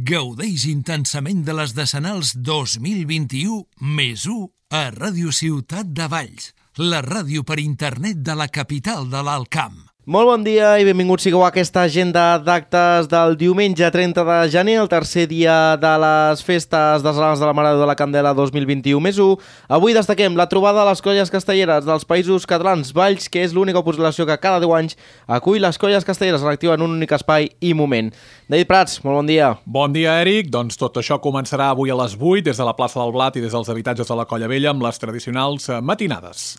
Gaudeix intensament de les Decenals 2021 més 1 a Ràdio Ciutat de Valls, la ràdio per internet de la capital de l'Alt Camp. Molt bon dia i benvinguts sigueu a aquesta agenda d'actes del diumenge 30 de gener, el tercer dia de les festes decenals de la Mare de la Candela 2021 més 1. Avui destaquem la trobada de les colles castelleres dels països catalans Valls, que és l'única població que cada 10 anys acull les colles castelleres en actiu en un únic espai i moment. David Prats, molt bon dia. Bon dia, Eric. Doncs tot això començarà avui a les 8 des de la plaça del Blat i des dels habitatges de la Colla Vella amb les tradicionals matinades.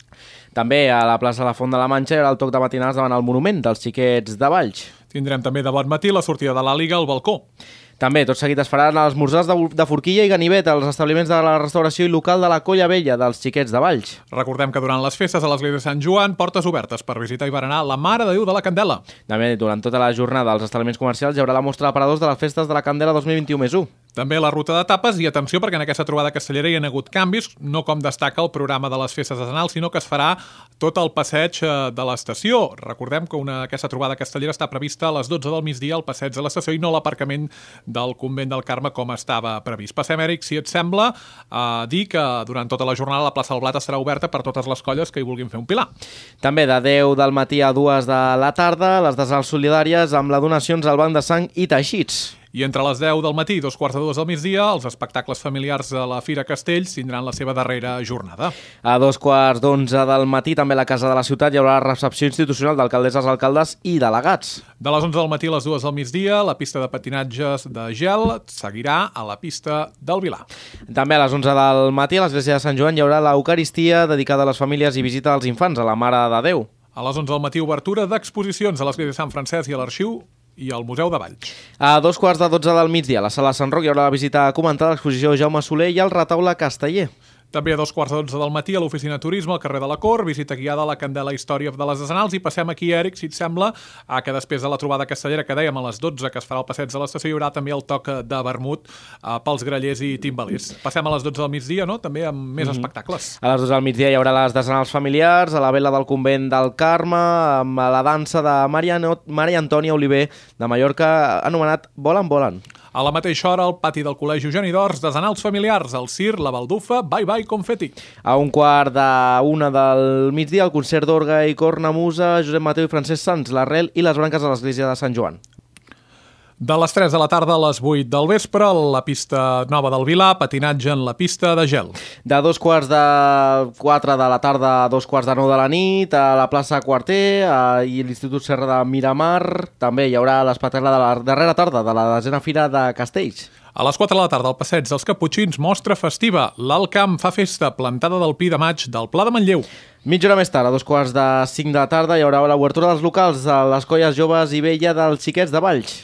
També a la plaça de la Font de la Manxa hi haurà el toc de matinades davant el monument dels xiquets de Valls. Tindrem també de bon matí la sortida de l'Àliga al balcó. També, tot seguit es faran els esmorzars de forquilla i ganivet als establiments de la restauració i local de la Colla Vella dels xiquets de Valls. Recordem que durant les festes a l'església de Sant Joan, portes obertes per visitar i berenar la Mare de Déu de la Candela. També, durant tota la jornada als establiments comercials hi haurà la mostra d'aparadors de les festes de la Candela 2021 més 1. També la ruta de tapes i atenció perquè en aquesta trobada castellera hi ha hagut canvis, no com destaca el programa de les festes decenals, sinó que es farà tot el passeig de l'estació. Recordem que aquesta trobada castellera està prevista a les 12 del migdia al passeig de l'estació i no l'aparcament del Convent del Carme com estava previst. Passem, Eric, si et sembla, a dir que durant tota la jornada la plaça del Blat estarà oberta per totes les colles que hi vulguin fer un pilar. També de 10 del matí a 2 de la tarda, les decenals solidàries amb les donacions al Banc de Sang i Teixits. I entre les 10 del matí i 2:45 del migdia, els espectacles familiars de la Fira Castells tindran la seva darrera jornada. A 2:45 del matí, també a la Casa de la Ciutat, hi haurà la recepció institucional d'alcaldesses, alcaldes i delegats. De les 11 del matí a les 2 del migdia, la pista de patinatges de gel seguirà a la pista del Vilar. També a les 11 del matí, a l'església de Sant Joan, hi haurà l'Eucaristia dedicada a les famílies i visita als infants, a la Mare de Déu. A les 11 del matí, obertura d'exposicions a l'església de Sant Francesc i a l'Arxiu i al Museu de Valls. A 2:15 del migdia, a la sala Sant Roc, hi haurà la visita comentada a l'exposició Jaume Soler i al retaule casteller. També a 2:15 del matí a l'oficina Turisme al carrer de la Cort, visita guiada a la Candela Història de les Decenals i passem aquí, Eric, si et sembla, que després de la trobada castellera que dèiem a les 12 que es farà el passeig de l'estació hi haurà també el toc de vermut pels grallers i timbalers. Passem a les 12 del migdia, no? També amb més espectacles. A les 12 del migdia hi haurà les decenals familiars, a la vela del Convent del Carme, amb la dansa de Maria Antònia Oliver de Mallorca, anomenat Volen, Volen. A la mateixa hora, al pati del Col·legi Eugeni d'Ors, decenals familiars, el Cir, la Baldufa, Bye Bye Confeti. A 1:45 del migdia, el concert d'orga i cornamusa, Josep Mateu i Francesc Sans, l'Arrel i les branques de l'església de Sant Joan. De les 3 de la tarda a les 8 del vespre, la pista nova del Vilar, patinatge en la pista de gel. De 3:45 de la tarda a 2:45 de la nit, a la plaça Quarter i l'Institut Serra de Miramar. També hi haurà l'espectacle de la darrera tarda de la 10a Fira de Castells. A les 4 de la tarda, al passeig dels Caputxins, mostra festiva. L'Alt Camp fa festa, plantada del Pi de Maig del Pla de Manlleu. Mitja hora més tard, a 2:45 de la tarda, hi haurà l'obertura dels locals de les colles joves i vella dels xiquets de Valls.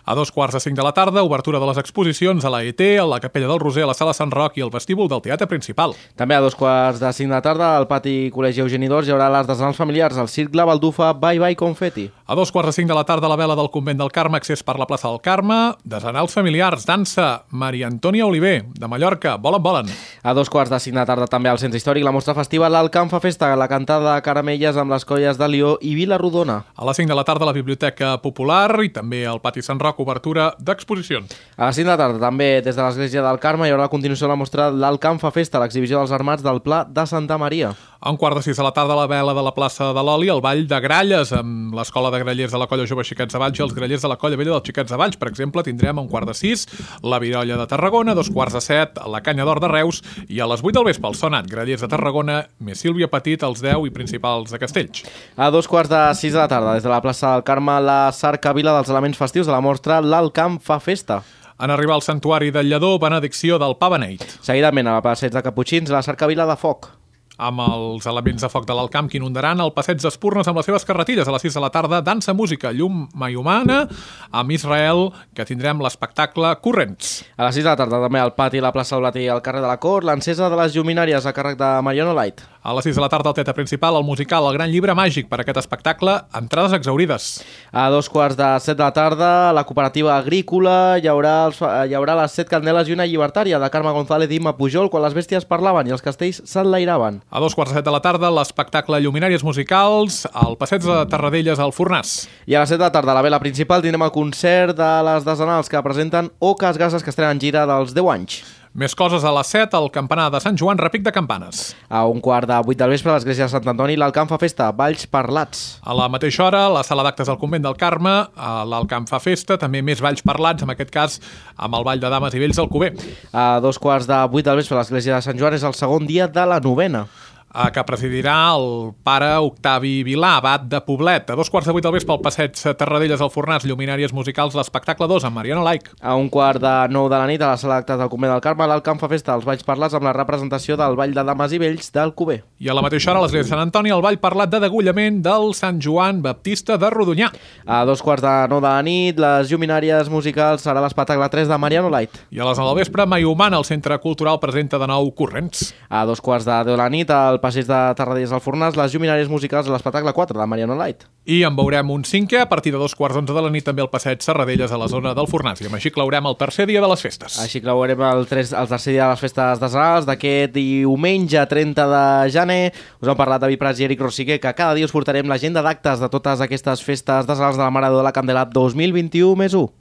A 2:45 de la tarda, obertura de les exposicions a la ET, a la Capella del Roser, a la Sala Sant Roc i al vestíbul del Teatre Principal. També a 2:45 de la tarda, al pati Col·legi Eugeni d'Ors, hi haurà les decenals familiars, el Circ, la Baldufa, Bye Bye Confeti. A 2:45 de la tarda, a la vela del Convent del Carme, accés per la plaça del Carme, decenals familiars, dansa, Maria Antònia Oliver, de Mallorca, Volen, Volen. A 2:45 de la tarda, també al Centre Històric, la mostra festiva, l'Alt Camp fa festa, la cantada de caramelles amb les colles de Lió i Vila Rodona. A les 5 de la tarda, a la Biblioteca Popular i també al pati Sant Roc, obertura d'exposicions. A les 5 de la tarda, també des de l'església del Carme, hi haurà la continuació de la mostra l'Alt Camp fa festa, l'exhibició dels armats del Pla de Santa Maria. A 5:45 de la tarda, a la vela de la plaça de l'Oli, el Ball de Gralles, amb l'Escola de Grallers de la Colla Jove Xiquets de Valls i els grallers de la Colla Vella dels Xiquets de Valls. Per exemple, tindrem a 5:45 la Virolla de Tarragona, a 2:45 la Canya d'Or de Reus i a les 8 del vespre el Sonat, grallers de Tarragona, més Sílvia Petit, els 10 i principals de Castells. A 2:45 de la tarda, des de la plaça del Carme, la cercavila dels elements festius de la mostra l'Alt Camp fa festa. En arribar al santuari del Lledó, benedicció del Pa Beneit. Seguidament, a la passeig de Caputxins, la cercavila de foc. Amb els elements de foc de l'Alt Camp que inundaran el passeig d'Espurnes amb les seves carretilles. A les 6 de la tarda, dansa, música, llum humana, amb Israel, que tindrem l'espectacle Corrents. A les 6 de la tarda, també al pati, la plaça del Blat i al carrer de la Cort, l'encesa de les lluminàries a càrrec de Mariano Light. A les 6 de la tarda, al Teatre Principal, el musical El Gran Llibre Màgic. Per aquest espectacle, entrades exhaurides. A 2:45 de la tarda, a la cooperativa agrícola, hi haurà les 7 candeles i una llibertària de Carme González i Imma Pujol quan les bèsties parlaven i els castells s'enlairaven. A 2:15 de la tarda, l'espectacle Lluminàries Musicals al Passeig de Terradellas al Fornàs. I a les 7 de la tarda, a la vela principal, tindrem el concert de les Desenals que presenten Oques Gases, que estrenen gira dels 10 anys. Més coses a les 7, al campanar de Sant Joan, repic de campanes. A 7:15 del vespre, a l'església de Sant Antoni, l'Alcamp fa festa, balls parlats. A la mateixa hora, la sala d'actes del Convent del Carme, a l'Alcamp fa festa, també més balls parlats, en aquest cas amb el Ball de Dames i Vells del Cuber. A 2:15 del vespre, a l'església de Sant Joan, és el segon dia de la novena, Que presidirà el pare Octavi Vilà, abat de Poblet. A 2:15 del vespre, al Passeig Terradellas al Fornàs, Lluminàries Musicals, l'espectacle 2, amb Mariano Laic. A 8:45 de la nit, a la sala d'actes del Convent del Carme, l'Alcamp fa festa, els balls parlats amb la representació del Ball de Dames i Vells del Cuber. I a la mateixa hora, a l'església de Sant Antoni, el ball parlat de degullament del Sant Joan Baptista de Rodonyà. A 2:45 de la nit, les Lluminàries Musicals, serà l'espectacle 3 de Mariano Light. I a les 9 del vespre, Mai Humana, el Centre Cultural, presenta de nou Corrents. A 2:10 de la nit, al Passeig de Terradellas al Fornàs, les Lluminàries Musicals, l'espectacle 4 de Mariano Light. I en veurem un cinquè a partir de 2:11 de la nit també al Passeig Serradellas a la zona del Fornàs. I amb així claurem el tercer dia de les festes. Així claurem el tercer dia de les festes desenals d'aquest diumenge 30 de gener. Us han parlat David Prats i Eric Rosiquer, que cada dia us portarem l'agenda d'actes de totes aquestes festes desenals de la Mare de la Candela 2021+1.